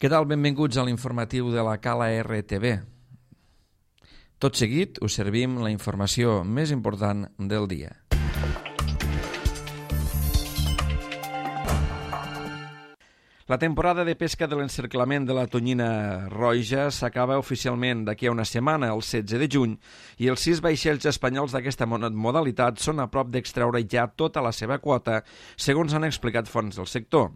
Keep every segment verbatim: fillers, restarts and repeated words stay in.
Què tal? Benvinguts a l'informatiu de la Cala R T V. Tot seguit us servim la informació més important del dia. La temporada de pesca de l'encerclament de la tonyina roja s'acaba oficialment d'aquí a una setmana, el setze de juny, i els sis vaixells espanyols d'aquesta modalitat són a prop d'extreure ja tota la seva quota, segons han explicat fonts del sector.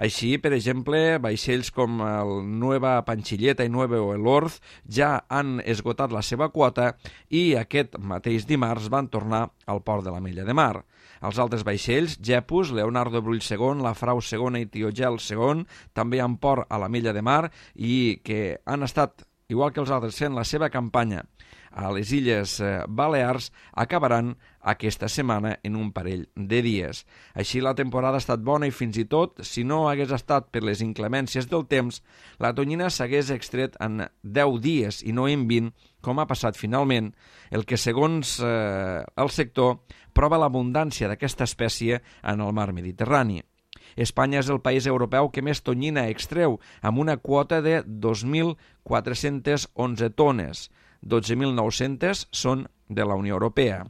Així, per exemple, vaixells com el Nueva Panchilleta i Nuevo Elorz ja han esgotat la seva quota i aquest mateix dimarts van tornar al port de l'Ametlla de Mar. Els altres vaixells, Gepus, Leonardo Brull segon, La Frau segona i Tiogel segon, també han port a l'Ametlla de Mar i que han estat, igual que els altres, fent la seva campanya a les Illes Balears, acabaran aquesta setmana en un parell de dies. Així la temporada ha estat bona i fins i tot, si no hagués estat per les inclemències del temps, la tonyina s'hagués extret en deu dies i no en vint, com ha passat finalment, el que segons eh, el sector prova l'abundància d'aquesta espècie en el mar Mediterrani. Espanya és el país europeu que més tonyina extreu, amb una quota de dos mil quatre-centes onze tones. dotze mil nou-centes són de la Unió Europea.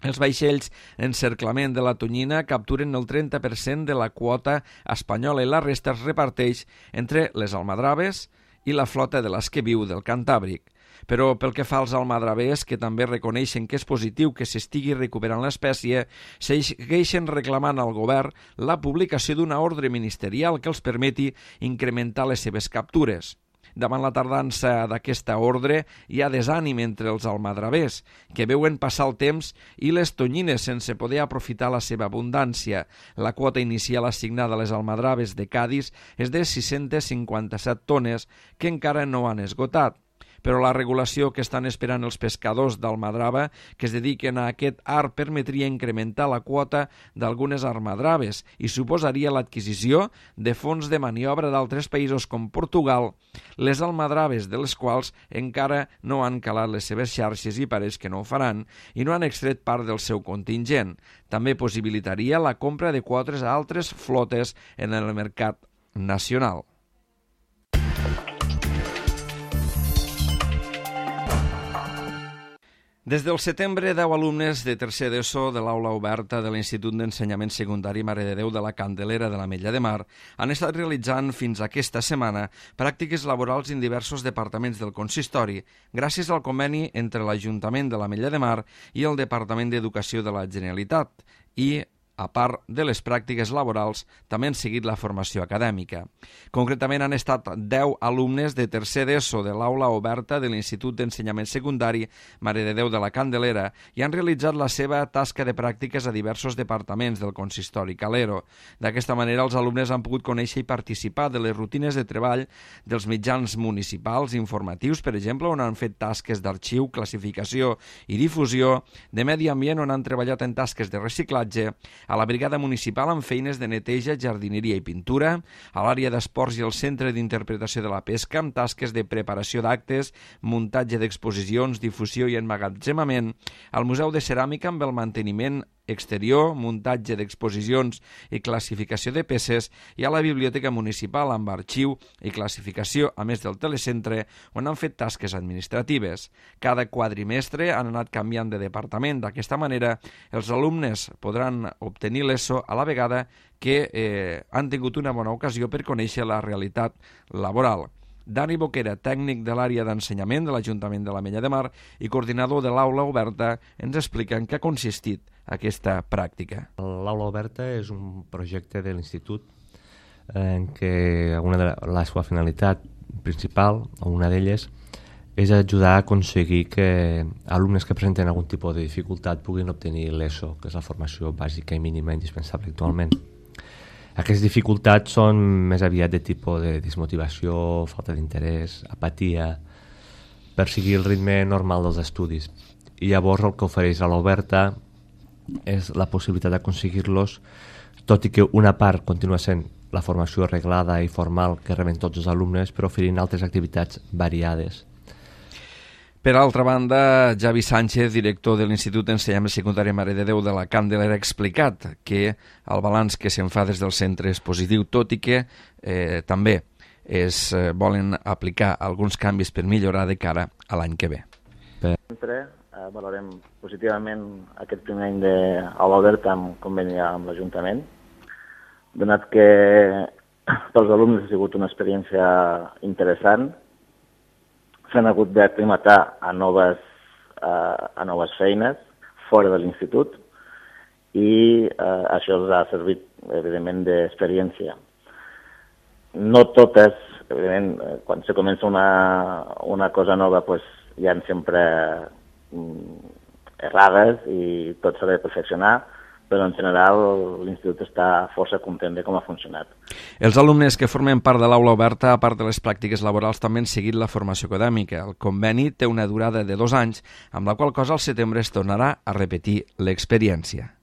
Els vaixells encerclament de la tonyina capturen el trenta per cent de la quota espanyola i la resta es reparteix entre les almadraves i la flota de l'Esqueviu del Cantàbric. Però pel que fa als almadravers, que també reconeixen que és positiu que s'estigui recuperant l'espècie, segueixen reclamant al govern la publicació d'una ordre ministerial que els permeti incrementar les seves captures. Davant la tardança d'aquesta ordre hi ha desànim entre els almadravers, que veuen passar el temps i les tonyines sense poder aprofitar la seva abundància. La quota inicial assignada a les almadraves de Cadis és de sis-centes cinquanta-set tones, que encara no han esgotat. Però la regulació que estan esperant els pescadors d'almadrava que es dediquen a aquest art permetria incrementar la quota d'algunes almadraves i suposaria l'adquisició de fons de maniobra d'altres països com Portugal, les almadraves de les quals encara no han calat les seves xarxes i pareix que no ho faran i no han extret part del seu contingent. També possibilitaria la compra de quotes a altres flotes en el mercat nacional. Des del setembre, deu alumnes de tercer d'ESO de l'aula oberta de l'Institut d'Ensenyament Secundari Mare de Déu de la Candelera de l'Ametlla de Mar han estat realitzant fins aquesta setmana pràctiques laborals en diversos departaments del consistori gràcies al conveni entre l'Ajuntament de l'Ametlla de Mar i el Departament d'Educació de la Generalitat i, a part de les pràctiques laborals, també han seguit la formació acadèmica. Concretament han estat deu alumnes de tercer d'ESO de l'aula oberta de l'Institut d'Ensenyament Secundari Mare de Déu de la Candelera i han realitzat la seva tasca de pràctiques a diversos departaments del consistori Calero. D'aquesta manera, els alumnes han pogut conèixer i participar de les rutines de treball dels mitjans municipals informatius, per exemple, on han fet tasques d'arxiu, classificació i difusió, de medi ambient, on han treballat en tasques de reciclatge, a la brigada municipal amb feines de neteja, jardineria i pintura, a l'àrea d'esports i al centre d'interpretació de la pesca amb tasques de preparació d'actes, muntatge d'exposicions, difusió i emmagatzemament, al Museu de Ceràmica amb el manteniment exterior, muntatge d'exposicions i classificació de peces i a la Biblioteca Municipal amb arxiu i classificació, a més del telecentre, on han fet tasques administratives. Cada quadrimestre han anat canviant de departament. D'aquesta manera, els alumnes podran obtenir l'ESO a la vegada que eh, han tingut una bona ocasió per conèixer la realitat laboral. Dani Boquera, tècnic de l'àrea d'ensenyament de l'Ajuntament de l'Ametlla de Mar i coordinador de l'aula oberta, ens explica en què ha consistit aquesta pràctica. L'aula oberta és un projecte de l'Institut en què una de la seva finalitat principal, o una d'elles, és ajudar a aconseguir que alumnes que presenten algun tipus de dificultat puguin obtenir l'ESO, que és la formació bàsica i mínima indispensable actualment. Aquestes dificultats són més aviat de tipus de desmotivació, falta d'interès, apatia, per seguir el ritme normal dels estudis. I llavors el que ofereix a l'oberta és la possibilitat d'aconseguir-los, tot i que una part continua sent la formació reglada i formal que reben tots els alumnes, però oferint altres activitats variades. Per altra banda, Javi Sánchez, director de l'Institut d'Ensenyament Secundari Mare de Déu de la Candelera, ha explicat que el balanç que se'n fa des del centre és positiu, tot i que eh, també es eh, volen aplicar alguns canvis per millorar de cara a l'any que ve. Sempre eh, valorem positivament aquest primer any d'aula oberta amb conveni amb l'Ajuntament, donat que pels alumnes ha sigut una experiència interessant, s'han hagut d'aclimatar a noves, eh, a noves feines fora de l'institut i eh, això els ha servit, evidentment, d'experiència. No totes, evidentment, quan se comença una, una cosa nova, pues, hi ha sempre mm, errades i tot s'ha de perfeccionar, però en general l'institut està força content de com ha funcionat. Els alumnes que formen part de l'aula oberta, a part de les pràctiques laborals, també han seguit la formació acadèmica. El conveni té una durada de dos anys, amb la qual cosa al setembre es tornarà a repetir l'experiència.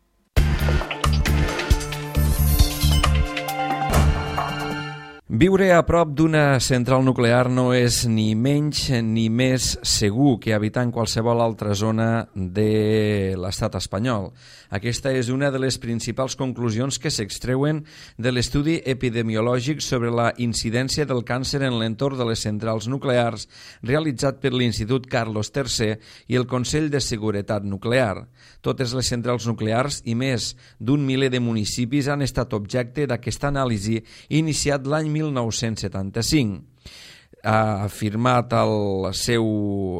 Viure a prop d'una central nuclear no és ni menys ni més segur que habitar en qualsevol altra zona de l'estat espanyol. Aquesta és una de les principals conclusions que s'extreuen de l'estudi epidemiològic sobre la incidència del càncer en l'entorn de les centrals nuclears realitzat per l'Institut Carlos tercer i el Consell de Seguretat Nuclear. Totes les centrals nuclears i més d'un miler de municipis han estat objecte d'aquesta anàlisi iniciat l'any mil nou-cents setanta-cinc. Ha afirmat el seu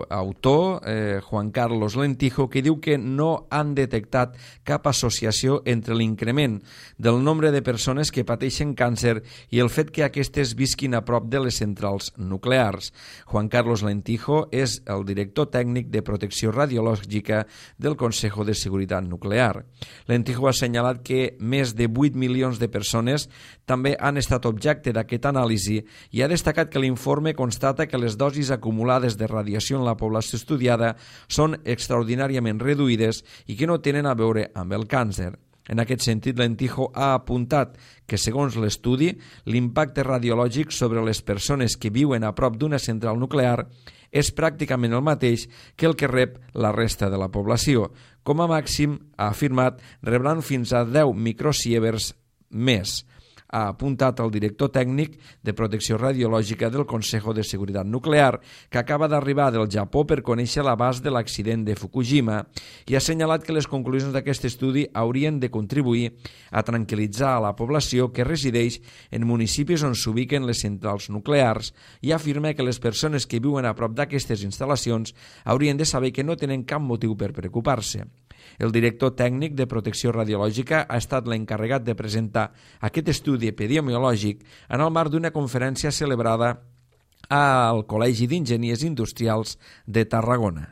autor, eh, Juan Carlos Lentijo, que diu que no han detectat cap associació entre l'increment del nombre de persones que pateixen càncer i el fet que aquestes visquin a prop de les centrals nuclears. Juan Carlos Lentijo és el director tècnic de protecció radiològica del Consejo de Seguretat Nuclear. Lentijo ha assenyalat que més de vuit milions de persones també han estat objecte d'aquesta anàlisi i ha destacat que l'informe constata que les dosis acumulades de radiació en la població estudiada són extraordinàriament reduïdes i que no tenen a veure amb el càncer. En aquest sentit, Lentijo ha apuntat que, segons l'estudi, l'impacte radiològic sobre les persones que viuen a prop d'una central nuclear és pràcticament el mateix que el que rep la resta de la població. Com a màxim, ha afirmat, rebran fins a deu microsieverts més. Ha apuntat el director tècnic de protecció radiològica del Consejo de Seguretat Nuclear, que acaba d'arribar del Japó per conèixer l'abast de l'accident de Fukushima, i ha assenyalat que les conclusions d'aquest estudi haurien de contribuir a tranquil·litzar a la població que resideix en municipis on s'ubiquen les centrals nuclears i afirma que les persones que viuen a prop d'aquestes instal·lacions haurien de saber que no tenen cap motiu per preocupar-se. El director tècnic de protecció radiològica ha estat l'encarregat de presentar aquest estudi epidemiològic en el marc d'una conferència celebrada al Col·legi d'Enginyers Industrials de Tarragona.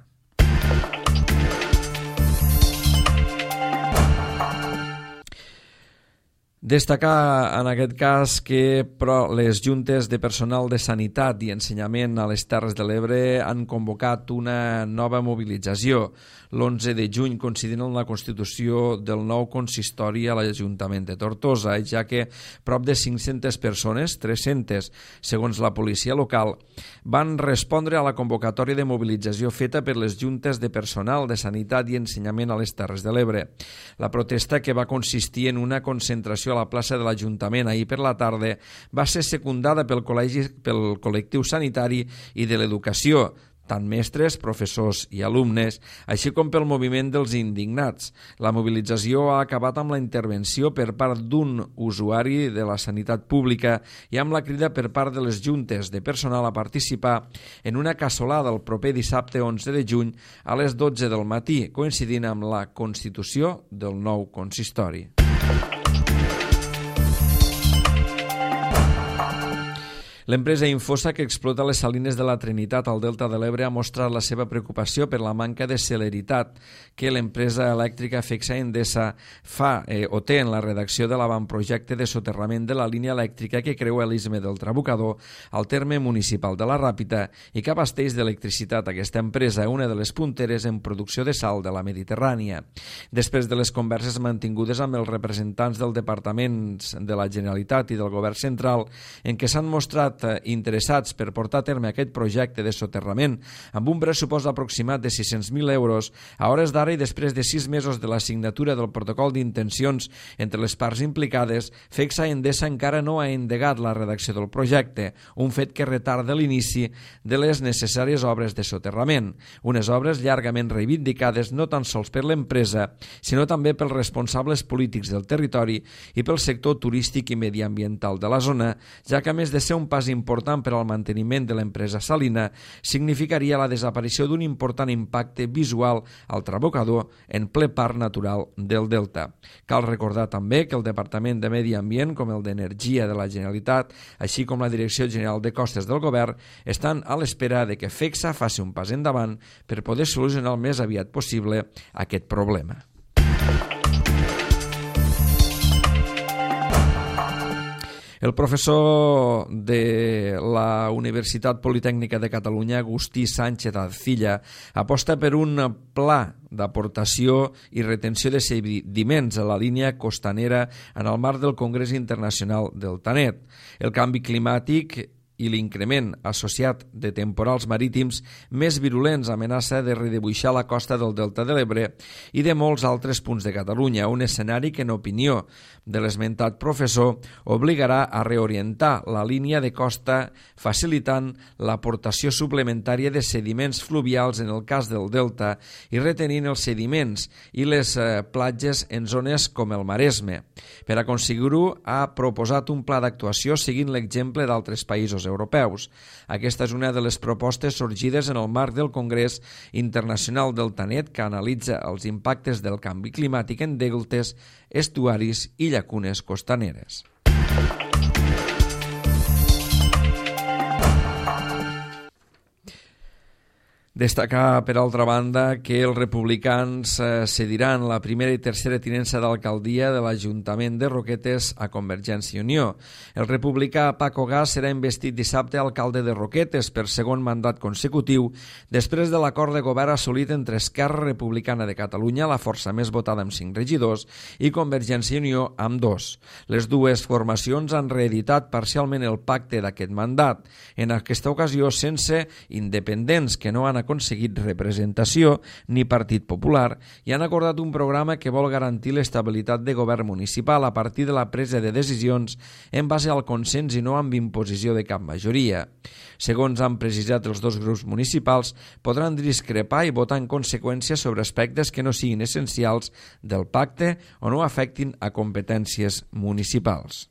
Destacar en aquest cas que però, les juntes de personal de sanitat i ensenyament a les Terres de l'Ebre han convocat una nova mobilització. L'onze de juny, coincidint amb la constitució del nou consistori a l'Ajuntament de Tortosa, ja que prop de cinc-centes persones, tres-centes segons la policia local, van respondre a la convocatòria de mobilització feta per les juntes de personal de sanitat i ensenyament a les Terres de l'Ebre. La protesta, que va consistir en una concentració a la plaça de l'Ajuntament ahir per la tarda, va ser secundada pel col·legi, pel col·lectiu sanitari i de l'educació, tant mestres, professors i alumnes, així com pel moviment dels indignats. La mobilització ha acabat amb la intervenció per part d'un usuari de la sanitat pública i amb la crida per part de les juntes de personal a participar en una cassolada el proper dissabte onze de juny a les dotze del matí, coincidint amb la constitució del nou consistori. L'empresa Infosa, que explota les salines de la Trinitat al Delta de l'Ebre, ha mostrat la seva preocupació per la manca de celeritat que l'empresa elèctrica Fexa Endesa fa eh, o té en la redacció de l'avantprojecte de soterrament de la línia elèctrica que creua l'Istme del Trabucador al terme municipal de la Ràpita i que abasteix d'electricitat aquesta empresa, una de les punteres en producció de sal de la Mediterrània. Després de les converses mantingudes amb els representants del Departament de la Generalitat i del Govern Central, en què s'han mostrat estat interessats per portar a terme aquest projecte de soterrament amb un pressupost aproximat de sis-cents mil euros, a hores d'ara i després de sis mesos de la signatura del protocol d'intencions entre les parts implicades, FECSA Endesa encara no ha endegat la redacció del projecte, un fet que retarda l'inici de les necessàries obres de soterrament, unes obres llargament reivindicades no tan sols per l'empresa, sinó també pels responsables polítics del territori i pel sector turístic i mediambiental de la zona, ja que a més de ser un pas important per al manteniment de l'empresa salina, significaria la desaparició d'un important impacte visual al trabocador en ple parc natural del Delta. Cal recordar també que el Departament de Medi Ambient, com el d'Energia de la Generalitat, així com la Direcció General de Costes del Govern, estan a l'espera de que FECSA faci un pas endavant per poder solucionar el més aviat possible aquest problema. El professor de la Universitat Politècnica de Catalunya, Agustí Sánchez Arcilla, aposta per un pla d'aportació i retenció de sediments a la línia costanera en el marc del Congrés Internacional del Tanet. El canvi climàtic i l'increment associat de temporals marítims més virulents amenaça de redibuixar la costa del Delta de l'Ebre i de molts altres punts de Catalunya, un escenari que, en opinió de l'esmentat professor, obligarà a reorientar la línia de costa facilitant l'aportació suplementària de sediments fluvials en el cas del Delta i retenint els sediments i les eh, platges en zones com el Maresme. Per aconseguir-ho, ha proposat un pla d'actuació seguint l'exemple d'altres països europeus. Aquesta és una de les propostes sorgides en el marc del Congrés Internacional del Tanet, que analitza els impactes del canvi climàtic en deltes, estuaris i llacunes costaneres. Destacar, per altra banda, que els republicans eh, cediran la primera i tercera tinença d'alcaldia de l'Ajuntament de Roquetes a Convergència i Unió. El republicà Paco Gas serà investit dissabte alcalde de Roquetes per segon mandat consecutiu després de l'acord de govern assolit entre Esquerra Republicana de Catalunya, la força més votada amb cinc regidors, i Convergència i Unió amb dos. Les dues formacions han reeditat parcialment el pacte d'aquest mandat, en aquesta ocasió sense independents que no han aconseguit representació ni Partit Popular i han acordat un programa que vol garantir l'estabilitat de govern municipal a partir de la presa de decisions en base al consens i no amb imposició de cap majoria. Segons han precisat els dos grups municipals, podran discrepar i votar en conseqüència sobre aspectes que no siguin essencials del pacte o no afectin a competències municipals.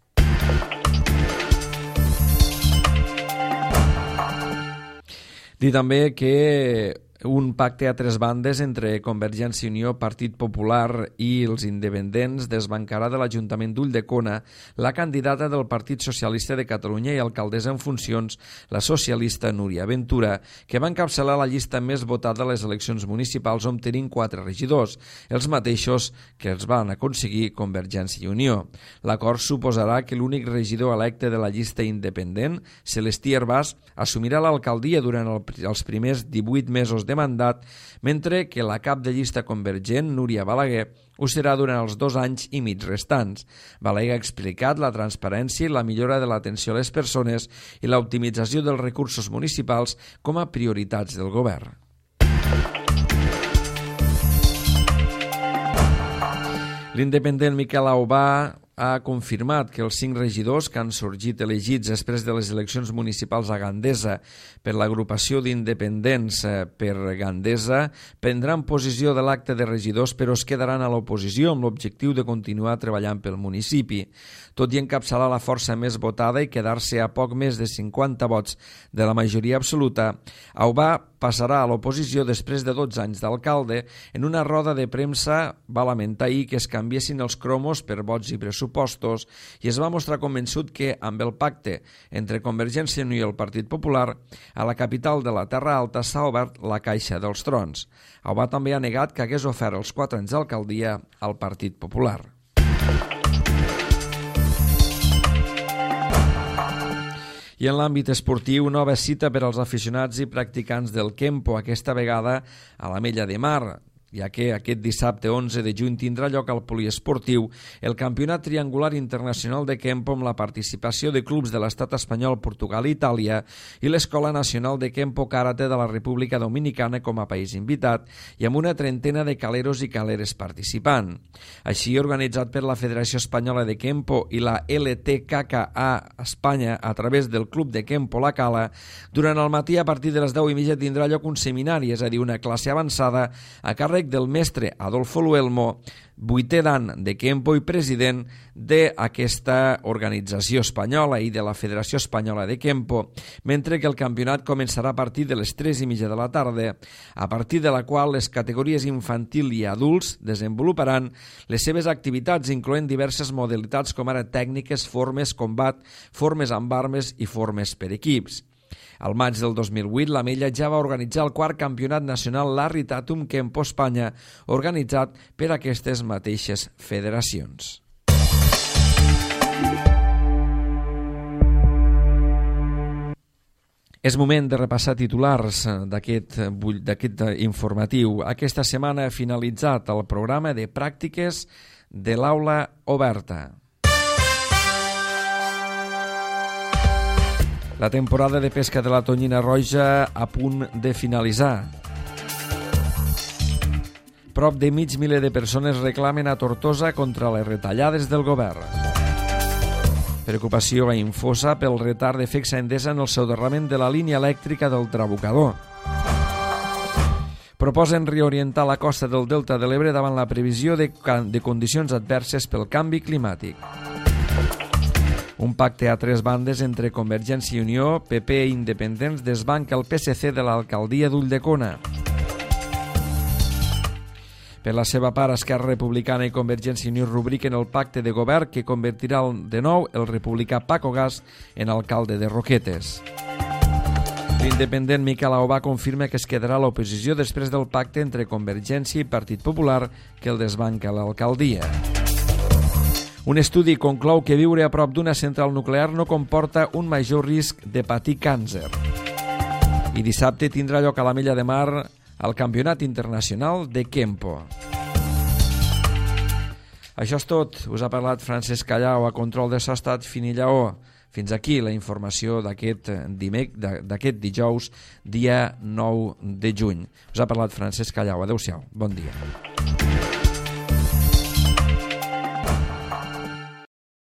Dir també que un pacte a tres bandes entre Convergència i Unió, Partit Popular i els independents desbancarà de l'Ajuntament d'Ulldecona la candidata del Partit Socialista de Catalunya i alcaldessa en funcions, la socialista Núria Ventura, que va encapçalar la llista més votada a les eleccions municipals obtenint quatre regidors, els mateixos que els van aconseguir Convergència i Unió. L'acord suposarà que l'únic regidor electe de la llista independent, Celestí Hervàs, assumirà l'alcaldia durant el, els primers divuit mesos de de mandat, mentre que la cap de llista convergent, Núria Balaguer, ho serà durant els dos anys i mig restants. Balaguer ha explicat la transparència i la millora de l'atenció a les persones i l'optimització dels recursos municipals com a prioritats del govern. L'independent Miquel Aubà ha confirmat que els cinc regidors que han sorgit elegits després de les eleccions municipals a Gandesa per l'agrupació d'independents per Gandesa prendran posició de l'acte de regidors però es quedaran a l'oposició amb l'objectiu de continuar treballant pel municipi. Tot i encapçalar la força més votada i quedar-se a poc més de cinquanta vots de la majoria absoluta, Aubà passarà a l'oposició després de dotze anys d'alcalde. En una roda de premsa va lamentar ahir que es canviessin els cromos per vots i pressupostos i es va mostrar convençut que amb el pacte entre Convergència i Unió i el Partit Popular a la capital de la Terra Alta s'ha obert la caixa dels trons. Aubà també ha negat que hagués ofert els quatre anys d'alcaldia al Partit Popular. I en l'àmbit esportiu, nova cita per als aficionats i practicants del Kempo, aquesta vegada a l'Ametlla de Mar. ja que aquest dissabte onze de juny tindrà lloc al poliesportiu el Campionat Triangular Internacional de Kempo amb la participació de clubs de l'estat espanyol, Portugal i Itàlia i l'Escola Nacional de Kempo Karate de la República Dominicana com a país invitat i amb una trentena de caleros i caleres participant. Així, organitzat per la Federació Espanyola de Kempo i la L T K K A Espanya a través del Club de Kempo La Cala, durant el matí a partir de les deu i mitja tindrà lloc un seminari, és a dir, una classe avançada a càrrec del mestre Adolfo Luelmo, vuitè dan de Kempo i president d'aquesta organització espanyola i de la Federació Espanyola de Kempo, mentre que el campionat començarà a partir de les tres i mitja de la tarda, a partir de la qual les categories infantil i adults desenvoluparan les seves activitats, incloent diverses modalitats com ara tècniques, formes, combat, formes amb armes i formes per equips. Al maig del dos mil vuit, la Mella ja va organitzar el quart campionat nacional Larry Tatum Kempo Espanya, organitzat per aquestes mateixes federacions. És moment de repassar titulars d'aquest d'aquest informatiu. Aquesta setmana ha finalitzat el programa de pràctiques de l'aula oberta. La temporada de pesca de la tonyina roja a punt de finalitzar. Prop de mig miler de persones reclamen a Tortosa contra les retallades del govern. Preocupació a Infosa pel retard de Fexa Endesa en el soterrament de la línia elèctrica del Trabucador. Proposen reorientar la costa del Delta de l'Ebre davant la previsió de, de condicions adverses pel canvi climàtic. Un pacte a tres bandes entre Convergència i Unió, P P i Independents desbanca el P S C de l'alcaldia d'Ulldecona. Per la seva part, Esquerra Republicana i Convergència i Unió rubriquen el pacte de govern que convertirà de nou el republicà Paco Gas en alcalde de Roquetes. L'independent Miquel Aubà confirma que es quedarà a l'oposició després del pacte entre Convergència i Partit Popular que el desbanca l'alcaldia. Un estudi conclou que viure a prop d'una central nuclear no comporta un major risc de patir càncer. I dissabte tindrà lloc a la Mella de Mar el Campionat Internacional de Kempo. Això és tot. Us ha parlat Francesc Callau, a control de so ha estat Fini Lleó. Fins aquí la informació d'aquest dimec, d'aquest dijous, dia nou de juny. Us ha parlat Francesc Callau. Adéu-siau. Bon dia.